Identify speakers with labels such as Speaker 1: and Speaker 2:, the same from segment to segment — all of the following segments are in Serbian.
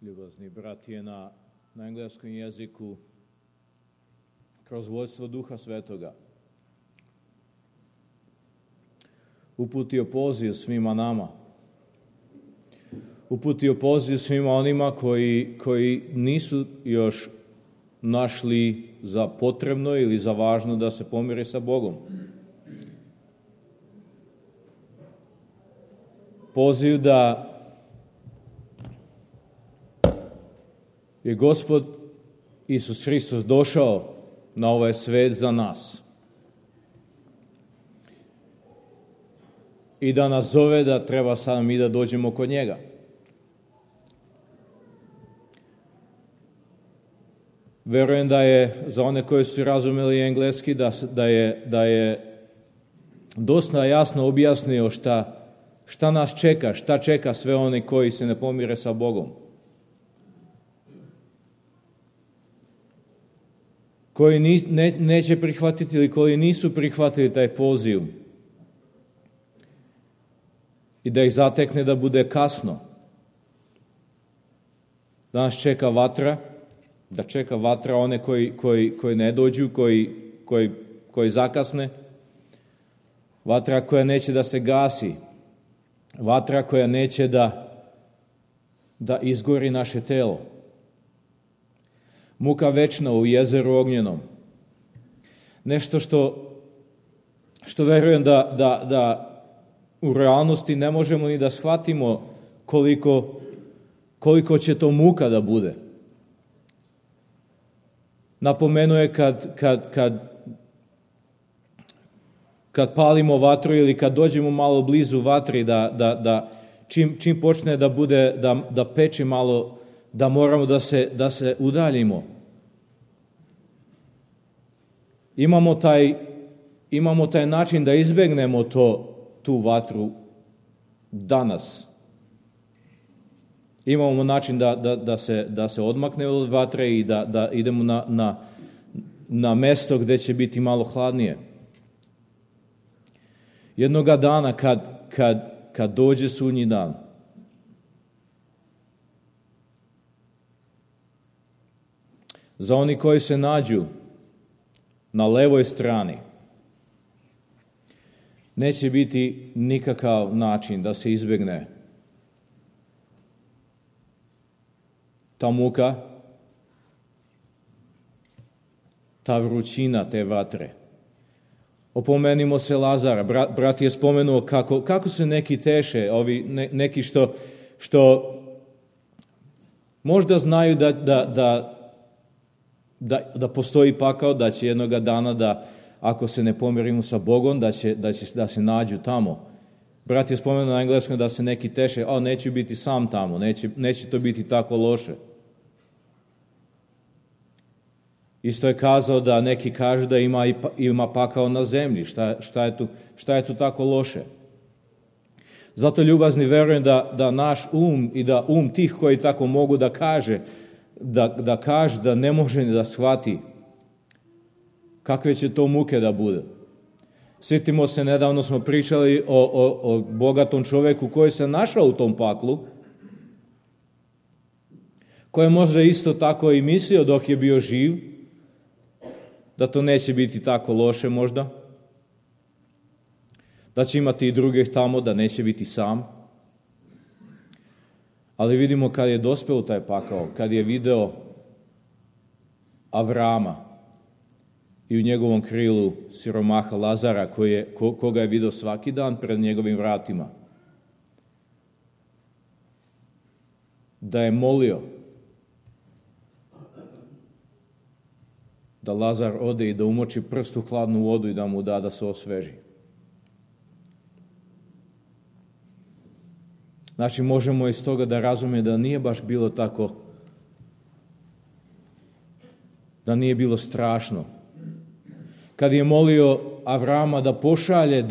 Speaker 1: ljubazni brat je na engleskom jeziku kroz vodstvo Duha Svetoga uputio poziv svima nama. Uputio poziv svima onima koji nisu još našli za potrebno ili za važno da se pomire sa Bogom. Poziv da je Gospod Isus Hristos došao na ovaj svet za nas i da nas zove da treba sad mi da dođemo kod njega. Verujem da je za one koji su razumeli engleski da je dosta jasno objasnio šta nas čeka, šta čeka sve oni koji se ne pomire sa Bogom. Koji neće prihvatiti ili koji nisu prihvatili taj poziv i da ih zatekne da bude kasno. Da nas čeka vatra, da čeka vatra one koji ne dođu, koji zakasne. Vatra koja neće da se gasi. Vatra koja neće da izgori naše telo. Muka večna u jezeru ognjenom. Nešto što verujem da u realnosti ne možemo ni da shvatimo koliko će to muka da bude. Napomenuje kad palimo vatru ili kad dođemo malo blizu vatri, da čim počne da bude, da peči malo, da moramo da se udaljimo. Imamo taj način da izbegnemo tu vatru danas. Imamo način da se odmakne od vatre i da idemo na mesto gde će biti malo hladnije. Jednoga dana kad dođe sudnji dan, za oni koji se nađu na levoj strani, neće biti nikakav način da se izbegne ta muka, ta vrućina te vatre. Opomenimo se Lazara. Brat je spomenuo kako se neki teše, neki što možda znaju da postoji pakao, da će jednoga dana da ako se ne pomirimo sa Bogom, da se nađu tamo. Brat je spomenuo na engleskom da se neki teše, neću biti sam tamo, neće to biti tako loše. Isto je kazao da neki kažu da ima pakao na zemlji. Šta je tu tako loše? Zato, ljubazni, verujem da naš um i da tih koji tako mogu da kaže da ne može da shvati kakve će to muke da bude. Sjetimo se, nedavno smo pričali o bogatom čoveku koji se našao u tom paklu, koji je možda isto tako i mislio dok je bio živ, da to neće biti tako loše možda, da će imati i drugih tamo, da neće biti sam. Ali vidimo kad je dospeo u taj pakao, kad je video Avrama i u njegovom krilu siromaha Lazara, koga je video svaki dan pred njegovim vratima, da je molio da Lazar ode i da umoči prst u hladnu vodu i da mu da se osveži. Znači, možemo iz toga da razumije da nije baš bilo tako, da nije bilo strašno. Kad je molio Avrama da pošalje,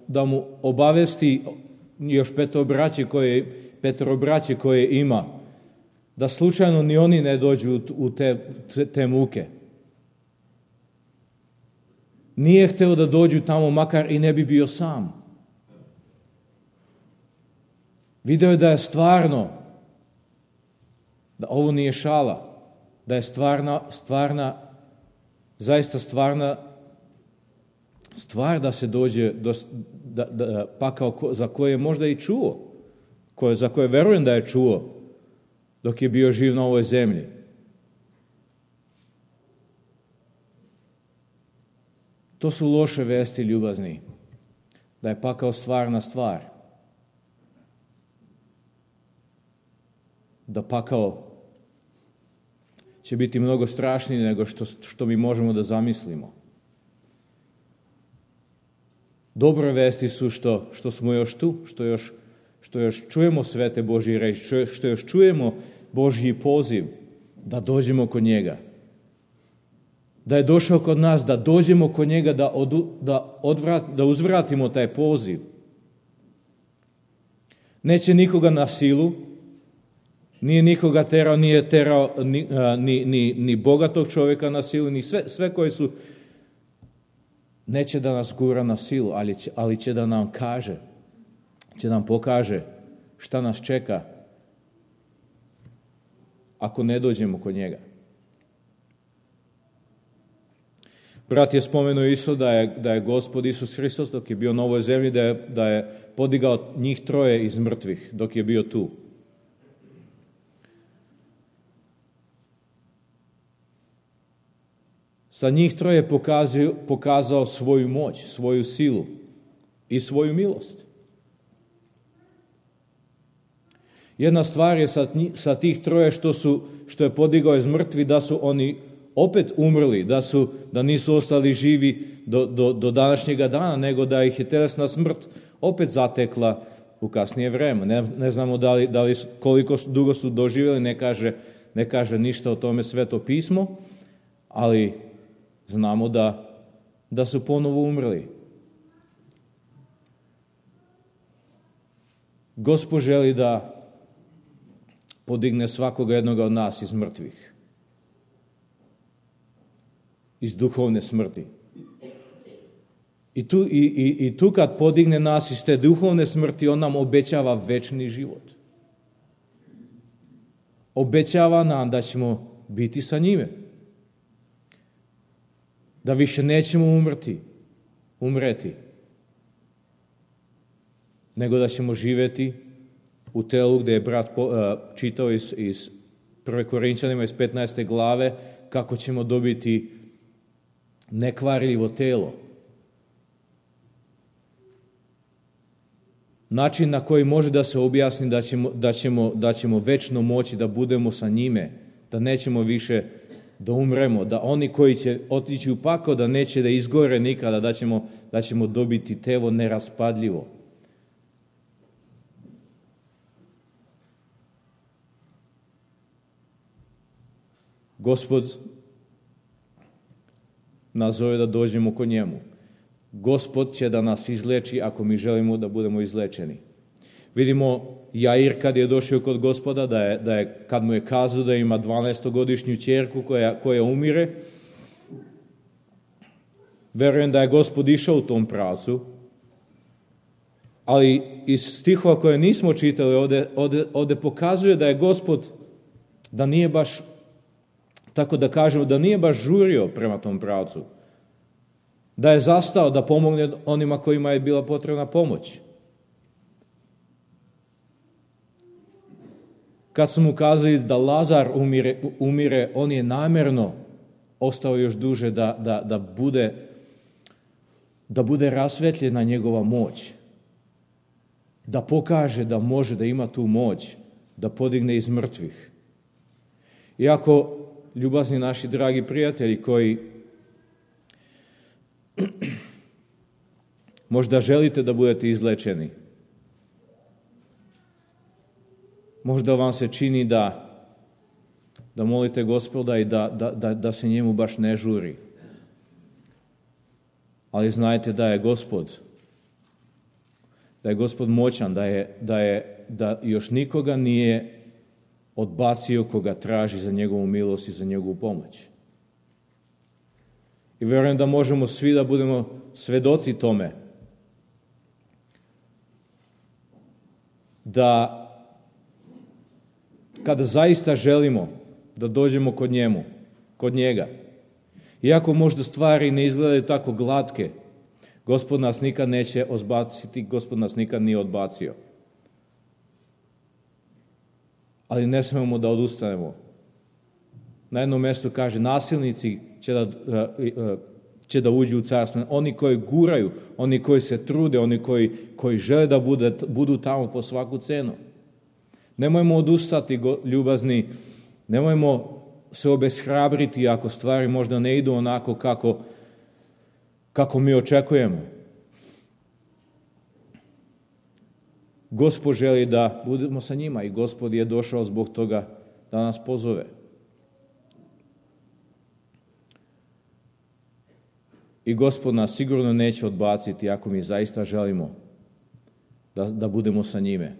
Speaker 1: da mu obavesti još petoro braće koje ima, da slučajno ni oni ne dođu u te muke. Nije hteo da dođu tamo, makar i ne bi bio sam. Video je da je stvarno Da ovo nije šala, da je zaista stvarna stvar da se dođe da pakao za koje je možda i čuo, za koje verujem da je čuo dok je bio živ na ovoj zemlji. To su loše vesti, ljubazni, da je pakao stvarna stvar. Da pakao će biti mnogo strašniji nego što mi možemo da zamislimo. Dobre vesti su što smo još tu, što još čujemo svete Božje reči, što još čujemo Božji poziv da dođemo kod njega. Da je došao kod nas, da dođemo kod njega, da uzvratimo taj poziv. Neće nikoga na silu, nije nikoga terao, nije terao ni bogatog čovjeka na silu, ni sve koji su. Neće da nas gura na silu, ali će da nam kaže, će nam pokaže šta nas čeka ako ne dođemo kod njega. Brat je spomenuo isto da je Gospod Isus Hristos dok je bio na ovoj zemlji, da je podigao njih troje iz mrtvih dok je bio tu. Sa njih troje pokazao svoju moć, svoju silu i svoju milost. Jedna stvar je sa tih troje što je podigao iz mrtvi, da su oni opet umrli, da nisu ostali živi do današnjega dana, nego da ih je telesna smrt opet zatekla u kasnije vreme. Ne znamo koliko dugo su doživjeli, ne kaže ništa o tome Sveto pismo, ali znamo da su ponovo umrli. Gospod želi da podigne svakoga jednoga od nas iz mrtvih, iz duhovne smrti. I tu kad podigne nas iz te duhovne smrti, on nam obećava večni život. Obećava nam da ćemo biti sa njime. Da više nećemo umreti, nego da ćemo živjeti u telu gdje je brat čitao iz 1. Korinčanima iz 15. glave kako ćemo dobiti nekvarljivo telo. Način na koji može da se objasni da ćemo večno moći da budemo sa njime, da nećemo više da umremo, da oni koji će otići u pakao da neće da izgore nikada, da ćemo dobiti telo neraspadljivo. Gospod nas zove da dođemo kod njemu. Gospod će da nas izleči ako mi želimo da budemo izlečeni. Vidimo Jair kad je došao kod Gospoda, da je kad mu je kazao da ima 12-godišnju ćerku koja umire, verujem da je Gospod išao u tom pravcu, ali iz stihova koje nismo čitali ovdje pokazuje da je Gospod, da nije baš, tako da kažemo, da nije baš žurio prema tom pravcu, da je zastao da pomogne onima kojima je bila potrebna pomoć. Kad su mu kazali da Lazar umire, on je namjerno ostao još duže da bude rasvetljena njegova moć. Da pokaže da može, da ima tu moć, da podigne iz mrtvih. Iako, ljubazni naši dragi prijatelji koji možda želite da budete izlečeni, možda vam se čini da molite Gospoda i da se njemu baš ne žuri. Ali znajte da je Gospod moćan, da još nikoga nije odbacio koga traži za njegovu milost i za njegovu pomoć. I vjerujem da možemo svi da budemo svedoci tome, kada zaista želimo da dođemo kod njega. Iako možda stvari ne izgledaju tako glatke, Gospod nas nikad neće odbaciti, Gospod nas nikad nije odbacio. Ali ne smemo da odustanemo. Na jednom mjestu kaže, nasilnici će da uđu u carstvo. Oni koji guraju, oni koji se trude, oni koji žele da budu tamo po svaku cenu. Nemojmo odustati, ljubazni, nemojmo se obeshrabriti ako stvari možda ne idu onako kako mi očekujemo. Gospod želi da budemo sa njima i Gospod je došao zbog toga da nas pozove. I Gospod nas sigurno neće odbaciti ako mi zaista želimo da budemo sa njime.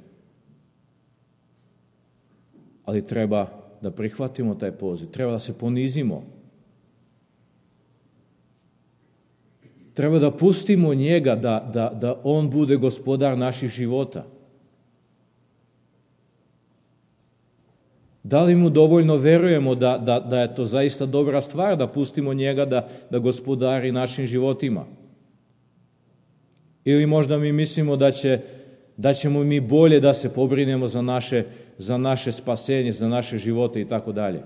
Speaker 1: Ali treba da prihvatimo taj poziv, treba da se ponizimo. Treba da pustimo njega da on bude gospodar naših života. Da li mu dovoljno verujemo da je to zaista dobra stvar, da pustimo njega da gospodari našim životima? Ili možda mi mislimo da ćemo mi bolje da se pobrinemo za naše spasenje, za naše živote i tako dalje.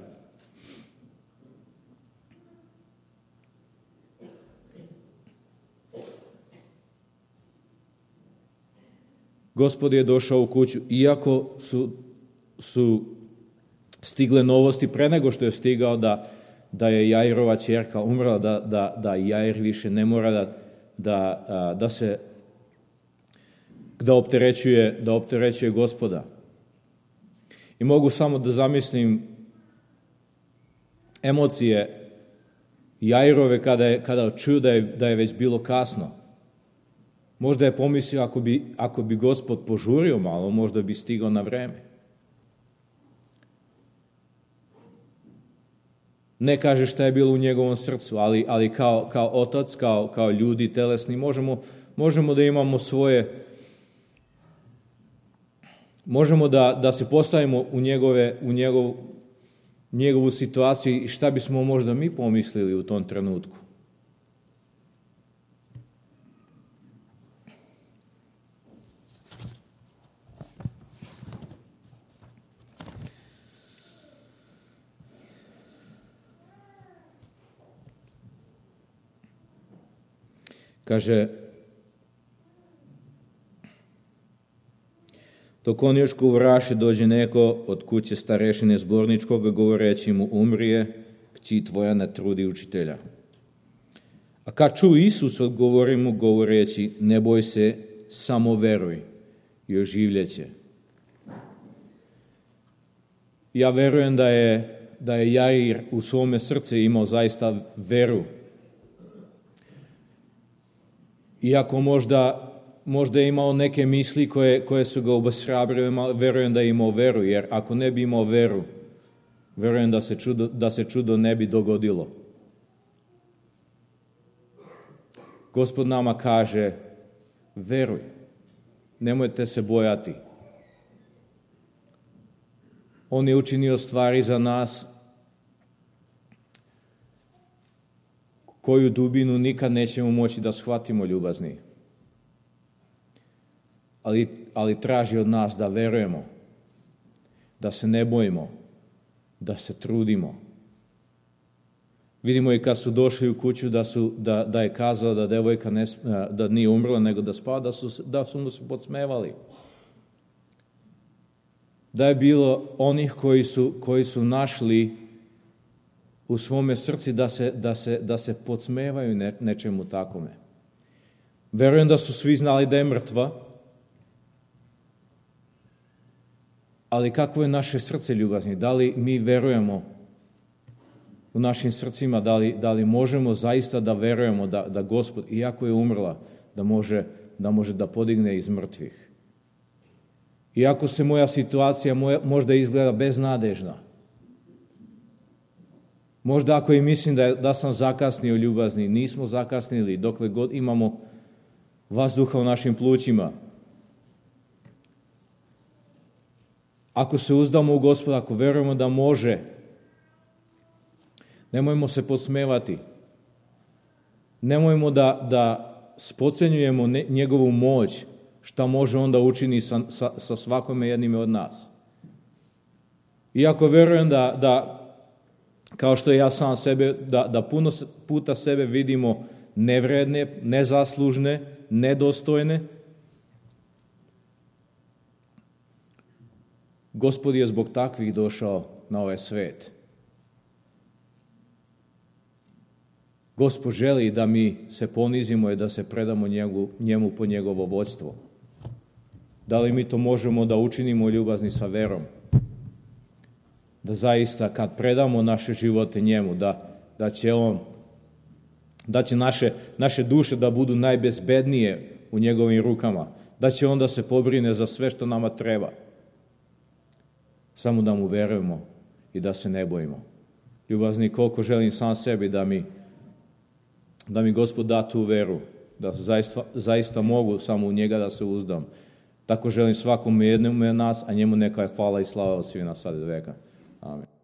Speaker 1: Gospod je došao u kuću, iako su stigle novosti pre nego što je stigao da je Jairova ćerka umrla, da Jair više ne mora da opterećuje Gospoda. I mogu samo da zamislim emocije Jairove kada čuo da je već bilo kasno. Možda je pomislio ako bi Gospod požurio malo, možda bi stigao na vreme. Ne kaže šta je bilo u njegovom srcu, ali kao otac, kao ljudi telesni, možemo da imamo svoje, možemo da se postavimo u njegovu situaciju i šta bismo možda mi pomislili u tom trenutku. Kaže, dok on još govораše, dođe neko od kuće starešine zborničkoga, govoreći mu, umrije, kći tvoja ne trudi učitelja. A kad ču Isus, odgovori mu, govoreći, ne boj se, samo veruj i oživljeće. Ja verujem da je Jair u svome srce imao zaista veru. Iako možda je imao neke misli koje su ga obeshrabrile, verujem da je imao veru, jer ako ne bi imao veru, verujem da se čudo ne bi dogodilo. Gospod nama kaže, veruj, nemojte se bojati. On je učinio stvari za nas koju dubinu nikad nećemo moći da shvatimo, ljubazni. Ali traži od nas da verujemo, da se ne bojimo, da se trudimo. Vidimo i kad su došli u kuću da je kazao da devojka da nije umrla nego da spava, da su mu se podsmevali. Da je bilo onih koji su našli u svome srci da se podsmevaju nečemu takome. Verujem da su svi znali da je mrtva, ali kakvo je naše srce, ljubazni? Da li mi verujemo u našim srcima, da li možemo zaista da verujemo da Gospod, iako je umrla, da može da podigne iz mrtvih? Iako se moja situacija možda izgleda beznadežna, možda ako i mislim da sam zakasnio, ljubazni, nismo zakasnili dokle god imamo vazduha u našim plućima. Ako se uzdamo u Gospoda, ako verujemo da može, nemojmo se podsmevati. Nemojmo da spocenjujemo njegovu moć, šta može onda učini sa svakome jednime od nas. Iako verujem da kao što ja sam sebe, da puno puta sebe vidimo nevredne, nezaslužne, nedostojne, Gospod je zbog takvih došao na ovaj svet. Gospod želi da mi se ponizimo i da se predamo njemu po njegovo vodstvo. Da li mi to možemo da učinimo ljubazni sa verom? Da zaista kad predamo naše živote njemu, da će naše duše da budu najbezbednije u njegovim rukama, da će on da se pobrine za sve što nama treba. Samo da mu verujemo i da se ne bojimo. Ljubazni, koliko želim sam sebi da mi Gospod da tu veru, da zaista mogu samo u njega da se uzdam. Tako želim svakom jednom od nas, a njemu neka je hvala i slava od svih nas sad i do veka. Amen.